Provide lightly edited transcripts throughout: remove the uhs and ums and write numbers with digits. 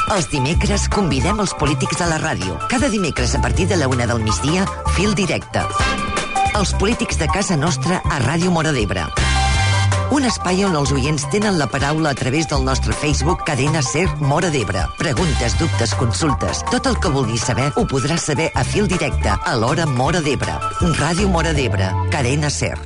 Els dimecres convidem els polítics a la ràdio. Cada dimecres a partir de la 1 del migdia, Fil Directe. Els polítics de casa nostra a Ràdio Móra d'Ebre. Un espai on els oients tenen la paraula a través del nostre Facebook Cadena SER Móra d'Ebre. Preguntes, dubtes, consultes. Tot el que vulguis saber ho podràs saber a Fil Directe a l'hora Móra d'Ebre. Ràdio Móra d'Ebre. Cadena SER.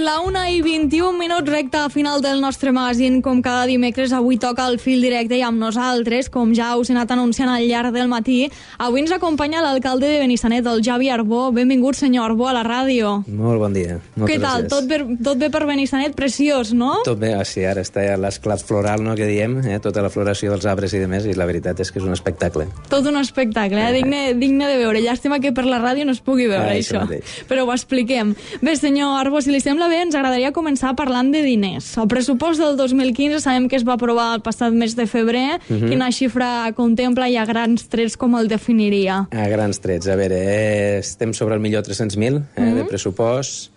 La 1:21, recta final del nostre magazín. Com cada dimecres, avui toca el Fil Directe i amb nosaltres, com ja us he anat anunciant al llarg del matí, avui ens acompanya l'alcalde de Benissanet, el Javi Arbó. Benvingut, senyor Arbó, a la ràdio. Molt bon dia. Moltes Què tal? gràcies. Tot bé per Benissanet? Preciós, no? Tot bé, sí, ara està ja l'esclat floral, no?, que diem, tota la floració dels arbres i demés, i la veritat és que és un espectacle. Tot un espectacle, digne de veure. Llàstima que per la ràdio no es pugui veure, això. Però ho expliquem. Bé, senyor Arbó, si li sembla bé, ens agradaria començar parlant de diners. El pressupost del 2015 sabem que es va aprovar el passat mes de febrer. Quina xifra contempla i a grans trets com el definiria? A grans trets, a veure, estem sobre el 1.300.000 de pressupost,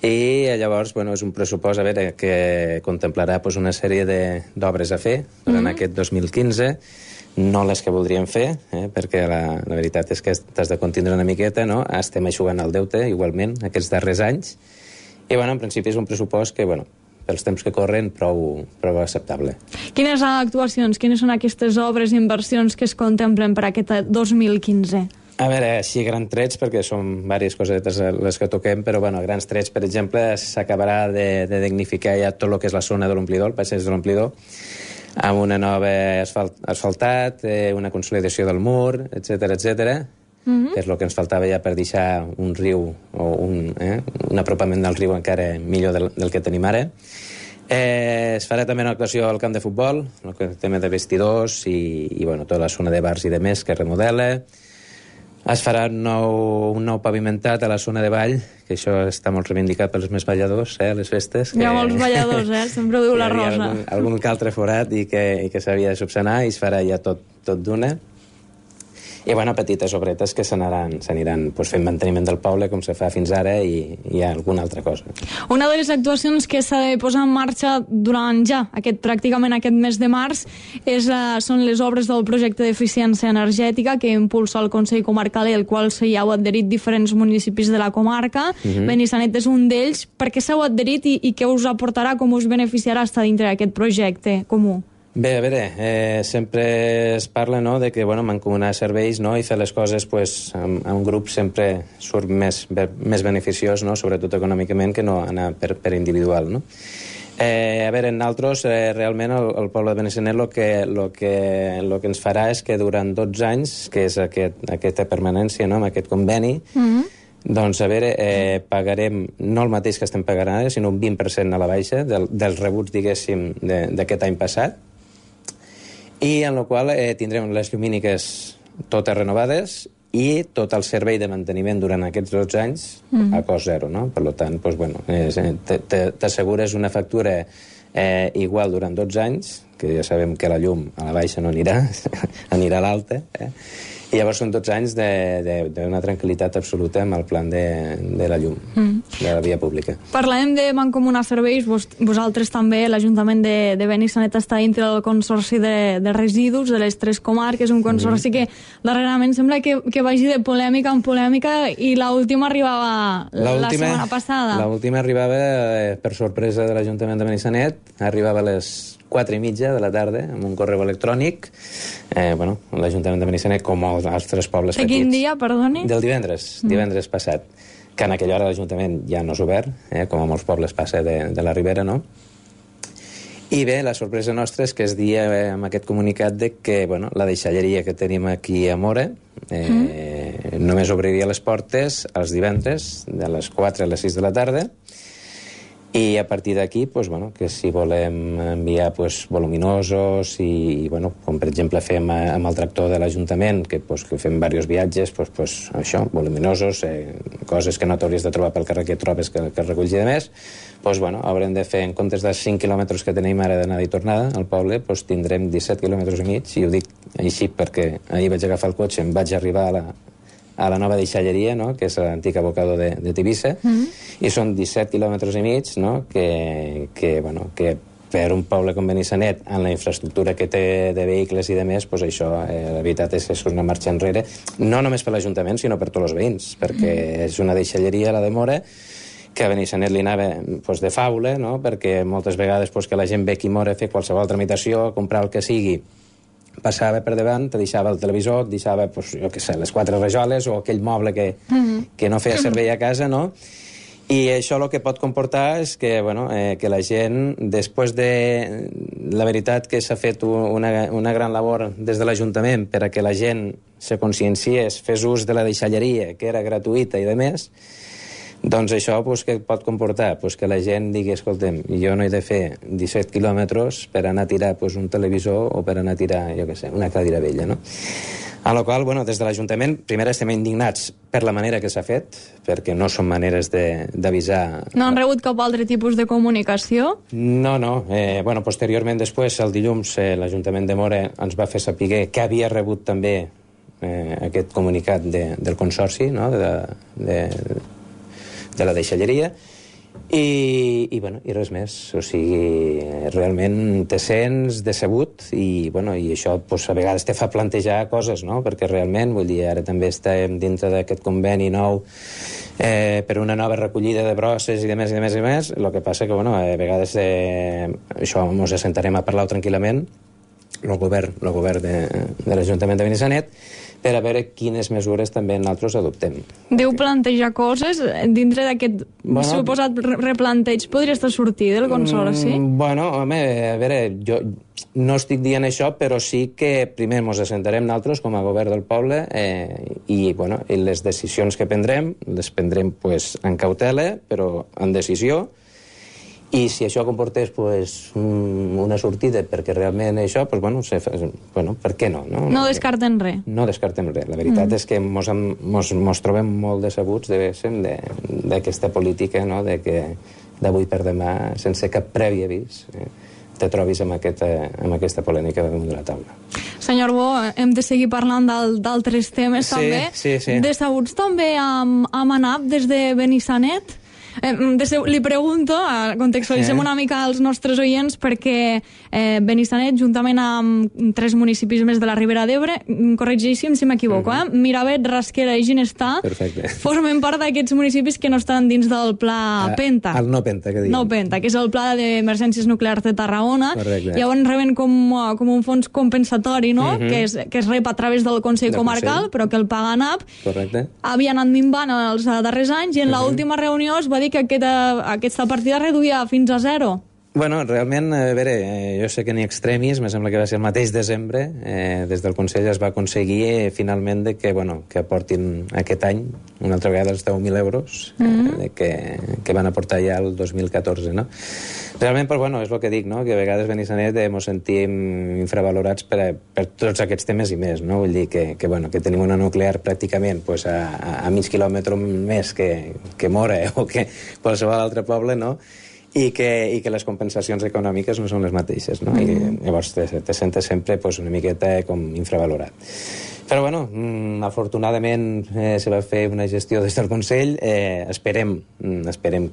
i llavors, bueno, és un pressupost, a veure, que contemplarà pues, una sèrie d'obres a fer durant aquest 2015, no les que voldríem fer, perquè la veritat és que t'has de contindre una miqueta, no? Estem eixugant el deute, igualment, aquests darrers anys, i, bueno, en principi és un pressupost que, bueno, pels temps que corren, prou acceptable. Quines actuacions, quines són aquestes obres i inversions que es contemplen per aquest 2015? A veure, així grans trets, perquè són diverses cosetes les que toquem, però, bueno, grans trets, per exemple, s'acabarà de dignificar ja tot el que és la zona de l'omplidor, el passeig de l'omplidor, amb una nova asfaltat, una consolidació del mur, etc, que és el que ens faltava ja per deixar un riu o un apropament del riu encara millor del que tenim ara. Es farà també una actuació al camp de futbol, el tema de vestidors i bueno, tota la zona de bars i de més que es remodela. Es farà un nou pavimentat a la zona de ball, que això està molt reivindicat pels més balladors, a les festes. Hi ha molts balladors, sempre ho diu la Rosa. Algun que altre forat i que s'havia de subsanar, i es farà ja tot d'una. I, bueno, petites obretes que s'aniran pues, fent manteniment del poble, com se fa fins ara, i alguna altra cosa. Una de les actuacions que s'ha de posar en marxa durant pràcticament aquest mes de març són les obres del projecte d'eficiència energètica que impulsa el Consell Comarcal i el qual s'hi heu adherit diferents municipis de la comarca. Benissanet és un d'ells. Per què s'heu adherit i què us aportarà, com us beneficiarà estar dintre d'aquest projecte comú? Bé, a veure, sempre es parla, no?, de que, bueno, mancomunar serveis, no?, i fer les coses, pues, amb un grup sempre surt més beneficiós, no?, sobretot econòmicament, que no anar per individual, no? A veure, nosaltres, realment, el poble de Benissanet el que ens farà és que durant 12 anys, que és aquesta permanència, no?, amb aquest conveni, doncs, a veure, pagarem no el mateix que estem pagant ara, sinó un 20% a la baixa dels rebuts, diguéssim, d'aquest any passat, i en la qual tindrem les llumíniques totes renovades i tot el servei de manteniment durant aquests 12 anys a cost zero, no? Per tant, doncs, bueno, t'assegures una factura igual durant 12 anys, que ja sabem que la llum a la baixa no anirà, anirà a l'alta, i llavors són 12 anys d'una tranquil·litat absoluta amb el plan de la llum, de la via pública. Parlem de mancomunar serveis, vosaltres també, l'Ajuntament de Benissanet està dintre del Consorci de Residus de les 3 comarques, un consorci que darrerament sembla que vagi de polèmica en polèmica, i l'última arribava la setmana passada. L'última arribava, per sorpresa de l'Ajuntament de Benissanet, arribava a les 4:30 de la tarda, amb un correu electrònic. L'Ajuntament de Benissanet, com els altres pobles petits. De quin dia, perdoni? Del divendres passat, que en aquella hora l'Ajuntament ja no és obert, com a molts pobles passa de la Ribera, no? I bé, la sorpresa nostra és que es dia amb aquest comunicat de que la deixalleria que tenim aquí a Móra només obriria les portes els divendres de les 4 a les 6 de la tarda, I a partir d'aquí, pues, bueno, que si volem enviar pues, voluminosos i, bueno, com per exemple fem amb el tractor de l'Ajuntament, que fem diversos viatges, pues, això, voluminosos, coses que no t'hauries de trobar pel carrer que trobes que reculls i de més, pues, bueno, haurem de fer, en comptes dels 5 quilòmetres que tenim ara d'anada i tornada al poble, pues, tindrem 17 quilòmetres i mig, i ho dic així perquè ahir vaig agafar el cotxe, em vaig arribar a la nova deixalleria, no?, que és l'antic abocador de Tivissa, i són 17 quilòmetres i mig, no?, que per un poble com Benissanet, amb la infraestructura que té de vehicles i de més, pues això, la veritat és que és una marxa enrere, no només per l'Ajuntament, sinó per tots els veïns, perquè és una deixalleria, la de Móra, que a Benissanet li anava pues, de faula, no?, perquè moltes vegades pues, que la gent ve aquí a Móra a fer qualsevol tramitació, a comprar el que sigui, passava per davant, te deixava el televisor, et deixava, pues, jo què sé, les 4 rajoles o aquell moble que no feia servei a casa, no? I això el que pot comportar és que, bueno, que la gent, després de... La veritat que s'ha fet una gran labor des de l'Ajuntament per a que la gent se conscienciés, fes ús de la deixalleria, que era gratuïta i de més, doncs això pues, què pot comportar? Pues que la gent digui, escolta'm, jo no he de fer 17 quilòmetres per anar a tirar pues, un televisor o per anar a tirar, jo què sé, una cadira vella, no? A la qual, bueno, des de l'Ajuntament, primer estem indignats per la manera que s'ha fet, perquè no són maneres d'avisar... No han rebut cap altre tipus de comunicació? No. Bueno, posteriorment, després, el dilluns, l'Ajuntament de Móra ens va fer saber que havia rebut també aquest comunicat del Consorci, no?, de la deixalleria, i res més. O sigui, realment te sents decebut i això pues, a vegades te fa plantejar coses, no? Perquè realment, vull dir, ara també estem dintre d'aquest conveni nou per una nova recollida de brosses i de més. El que passa que, a vegades això ens assentarem a parlar tranquil·lament, el govern de l'Ajuntament de Benissanet, per a veure quines mesures també nosaltres adoptem. Deu plantejar coses dintre d'aquest suposat replanteig. Podria estar sortir del Consorci? Home, a veure, jo no estic dient això, però sí que primer ens assentarem nosaltres com a govern del poble i les decisions que prendrem, les prendrem pues, en cautela, però en decisió. I si això comportés pues, una sortida perquè realment això, pues, per què no? No descarten res. No descartem res. La veritat és que mos trobem molt decebuts d'aquesta política, no? De que d'avui per demà, sense cap previ avís, te trobis amb aquesta polèmica damunt de la taula. Senyor Bo, hem de seguir parlant d'altres temes també. Sí. Decebuts també amb ANAP des de Benissanet? Li pregunto, contextualitzem una mica als nostres oients perquè Benissanet, juntament amb 3 municipis més de la Ribera d'Ebre, corregeixin si m'equivoco, Miravet, Rasquera i Ginestar, formen part d'aquests municipis que no estan dins del pla PENTA. El no PENTA, que diguem. No PENTA, que és el pla d'emergències nuclears de Tarragona. Correcte. Llavors reben com un fons compensatori, no? Que es rep a través del Consell Comarcal, però que el paga ANAP. Correcte. Havia anat minvant els darrers anys i en l'última reunió es va dir que aquesta partida reduïa fins a 0. Realment, a veure, jo sé que ni extremis, me sembla que va ser el mateix desembre, des del Consell es va aconseguir finalment que aportin aquest any una altra vegada els 10.000 euros que van aportar ja el 2014, no? Realment, però, és el que dic, no? Que a vegades Benissanet ens sentim infravalorats per tots aquests temes i més, no? Vull dir que tenim una nuclear pràcticament a mig quilòmetre més que Móra o que qualsevol altre poble, no? I que les compensacions econòmiques no són les mateixes, no? I llavors te sentes sempre una miqueta com infravalorat. Però, afortunadament se va fer una gestió des del Consell. Esperem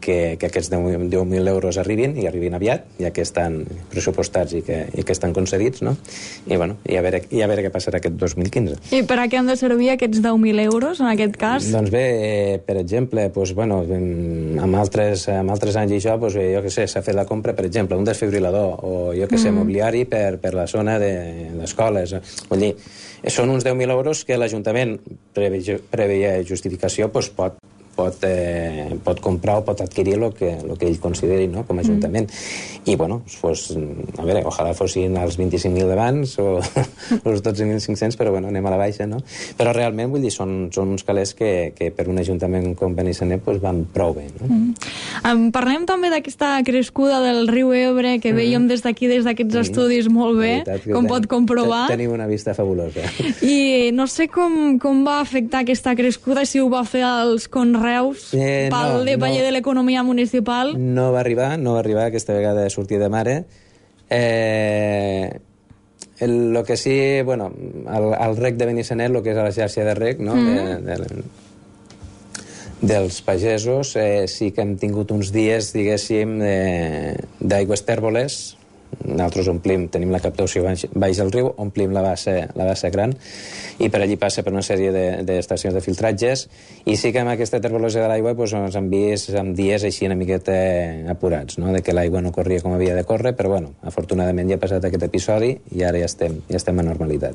que aquests 10.000 euros arribin, i arribin aviat, ja que estan pressupostats i que estan concedits, no? I a veure què passarà aquest 2015. I per a què han de servir aquests 10.000 euros, en aquest cas? Doncs bé, per exemple, amb altres anys i això, jo què sé, s'ha fet la compra, per exemple, un desfibrilador, o jo què sé, mobiliari per la zona d'escoles. Vull dir, són uns 10.000 euros que l'Ajuntament, prèvia justificació, pot pot comprar o pot adquirir el que ell consideri, no?, com a ajuntament. I, bueno, a veure, ojalà fossin els 25.000 d'abans o els 12.500, però, bueno, anem a la baixa, no? Però realment, vull dir, són uns calés que per un ajuntament com Benissanet van prou bé, no? Parlem també d'aquesta crescuda del riu Ebre, que veiem des d'aquí, des d'aquests estudis, molt bé, com pot comprovar. Tenim una vista fabulosa. I no sé com va afectar aquesta crescuda, si ho va fer als conreus pel paller de l'economia municipal. No va arribar aquesta vegada a sortir de mare. El que sí, bueno, el rec de Benissanet, el que és la xarxa de rec, no?, dels pagesos, sí que hem tingut uns dies, diguéssim, d'aigües tèrboles. Nosaltres tenim la captació baix del riu, omplim la bassa gran, i per allí passa per una sèrie d'estacions de filtratges, i sí que amb aquesta tèrbolosia de l'aigua ens hem vist amb dies així una miqueta apurats, no?, de que l'aigua no corria com havia de córrer, però bueno, afortunadament ja ha passat aquest episodi i ara ja estem a normalitat.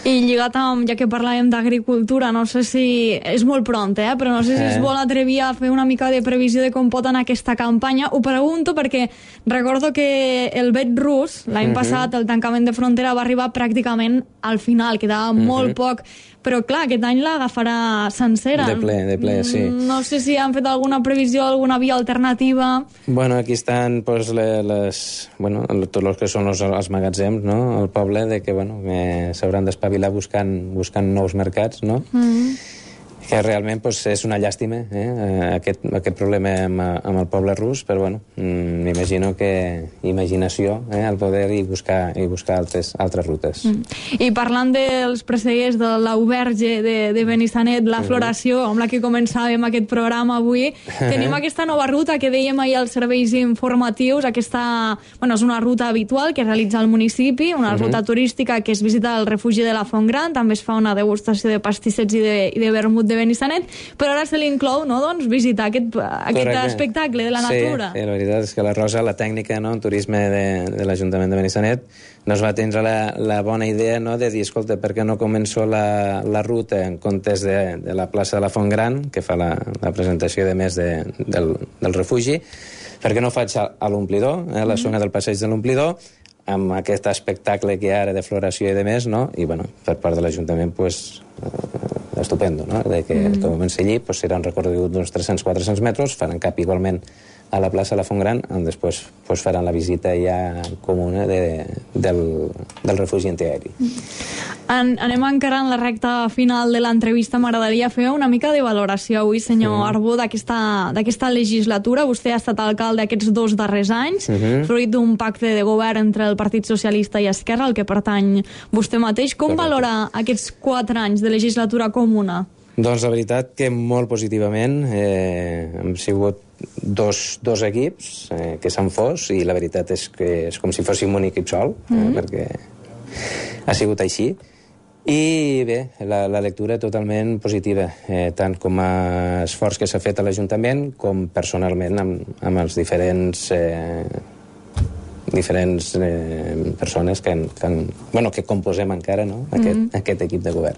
I lligat amb, ja que parlàvem d'agricultura, no sé si és molt pront, però no sé si es vol atrevir a fer una mica de previsió de com pot anar aquesta campanya. Ho pregunto perquè recordo que el vet rus, l'any passat, el tancament de frontera va arribar pràcticament al final, quedava molt poc, però clar, aquest any l'agafarà sencera. De ple, sí. No sé si han fet alguna previsió, alguna via alternativa. Bueno, aquí estan tots els que són els magatzems, no?, al poble, de que s'hauran d'espavilar buscant nous mercats, no? Que realment és una llàstima, aquest problema amb el poble rus, però bueno, m'imagino que imaginació al poder i buscar altres rutes. I parlant dels presseguers de l'auberge de Benissanet, la floració amb la que començàvem aquest programa avui, tenim aquesta nova ruta que dèiem ahir als serveis informatius. Aquesta, és una ruta habitual que realitza el municipi, una ruta turística que es visita al refugi de la Font Gran, també es fa una degustació de pastissets i de vermut de Benissanet, però ara se li inclou, no?, doncs, visitar aquest espectacle de la natura. Sí, la veritat és que la Rosa, la tècnica, no?, en turisme de l'Ajuntament de Benissanet, nos va tindre la bona idea, no?, de dir, escolta, per què no començo la ruta en comptes de la plaça de la Font Gran, que fa la presentació de més del refugi, per què no faig a l'omplidor, la zona del passeig de l'omplidor, amb aquest espectacle que hi ha ara de floració i de més, no?, i, per part de l'Ajuntament, estupendo, no?, de que comenci allí, serà un recorregut d'uns 300-400 metres, faran cap igualment a la plaça de la Font Gran, on després faran la visita ja comuna del refugi antiaeri. Anem encarant la recta final de l'entrevista. M'agradaria fer una mica de valoració avui, senyor Arbó, d'aquesta legislatura. Vostè ha estat alcalde aquests 2 darrers anys, fruit d'un pacte de govern entre el Partit Socialista i Esquerra, al que pertany vostè mateix. Com valora aquests 4 anys de legislatura comuna? Doncs la veritat que molt positivament. Hem sigut dos equips que s'han fos, i la veritat és que és com si fóssim un equip sol, perquè ha sigut així. I bé, la lectura totalment positiva, tant com a esforç que s'ha fet a l'Ajuntament com personalment amb els diferents persones que composem encara, no?, aquest equip de govern.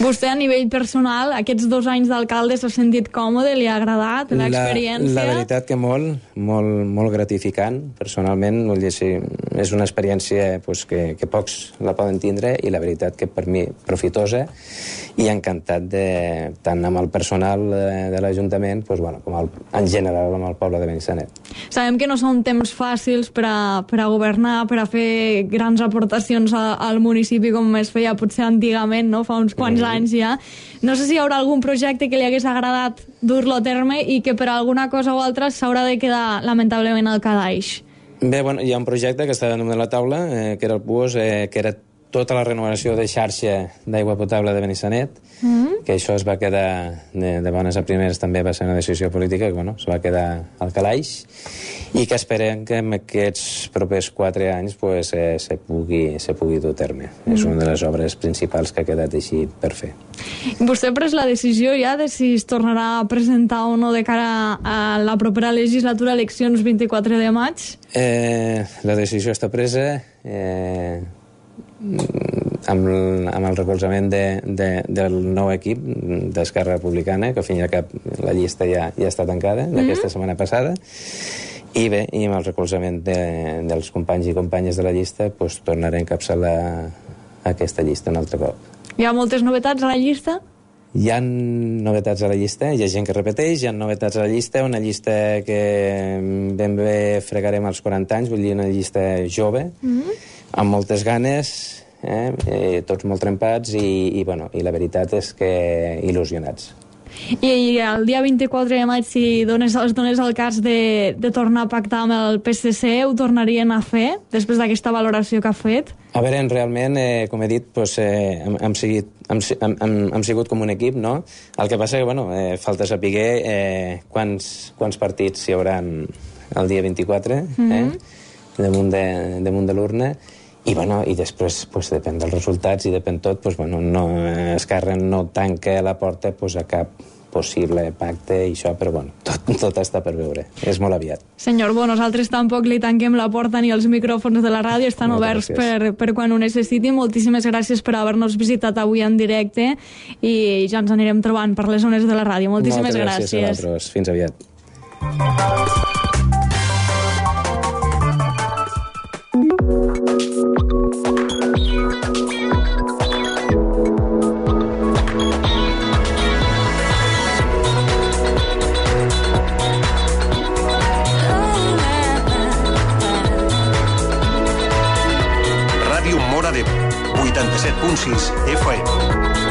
Vostè, a nivell personal, aquests 2 anys d'alcalde s'ha sentit còmode? Li ha agradat l'experiència? La veritat que molt gratificant. Personalment, vull dir, sí, és una experiència que pocs la poden tindre, i la veritat que per mi profitosa, i encantat tant amb el personal de l'Ajuntament com en general amb el poble de Benissanet. Sabem que no són temps fàcils per a governar, per a fer grans aportacions al municipi com es feia potser antigament, no?, fa uns quants anys ja. No sé si hi haurà algun projecte que li hagués agradat dur-lo a terme i que per alguna cosa o altra s'haurà de quedar lamentablement al calaix. Bé, hi ha un projecte que està damunt de la taula, que era el PUOS, que era tota la renovació de xarxa d'aigua potable de Benissanet, que això es va quedar de bones a primeres, també va ser una decisió política, que es va quedar al calaix, i que esperem que en aquests propers 4 anys se pugui dur a terme. És una de les obres principals que ha quedat així per fer. Vostè ha pres la decisió ja de si es tornarà a presentar o no de cara a la propera legislatura, eleccions 24 de maig? La decisió està presa. amb el recolzament del nou equip d'Esquerra Republicana, que al fin i al cap la llista ja està tancada, d'aquesta setmana passada, i bé, i amb el recolzament dels companys i companyes de la llista, doncs tornaré a encapçalar aquesta llista un altre cop. Hi ha moltes novetats a la llista? Hi ha novetats a la llista, hi ha gent que repeteix, hi ha novetats a la llista, una llista que ben bé fregarem als 40 anys, vull dir una llista jove, amb moltes ganes, tots molt trempats i la veritat és que il·lusionats. I el dia 24 de maig, si es donés el cas de tornar a pactar amb el PSC, ho tornarien a fer, després d'aquesta valoració que ha fet? A veure, realment, com he dit, hem sigut com un equip, no? El que passa que, falta saber quants partits hi haurà el dia 24, damunt de l'urna, i després depèn dels resultats i depèn tot, Esquerra no tanca la porta a cap possible pacte i això, però tot està per veure. És molt aviat. Senyor Bo, nosaltres tampoc li tanquem la porta ni els micròfons de la ràdio, estan oberts per quan ho necessiti. Moltíssimes gràcies per haver-nos visitat avui en directe i ja ens anirem trobant per les zones de la ràdio. Moltíssimes gràcies. Moltes gràcies a vosaltres. Fins aviat. Ràdio Móra d'Ebre, 87.6 FM.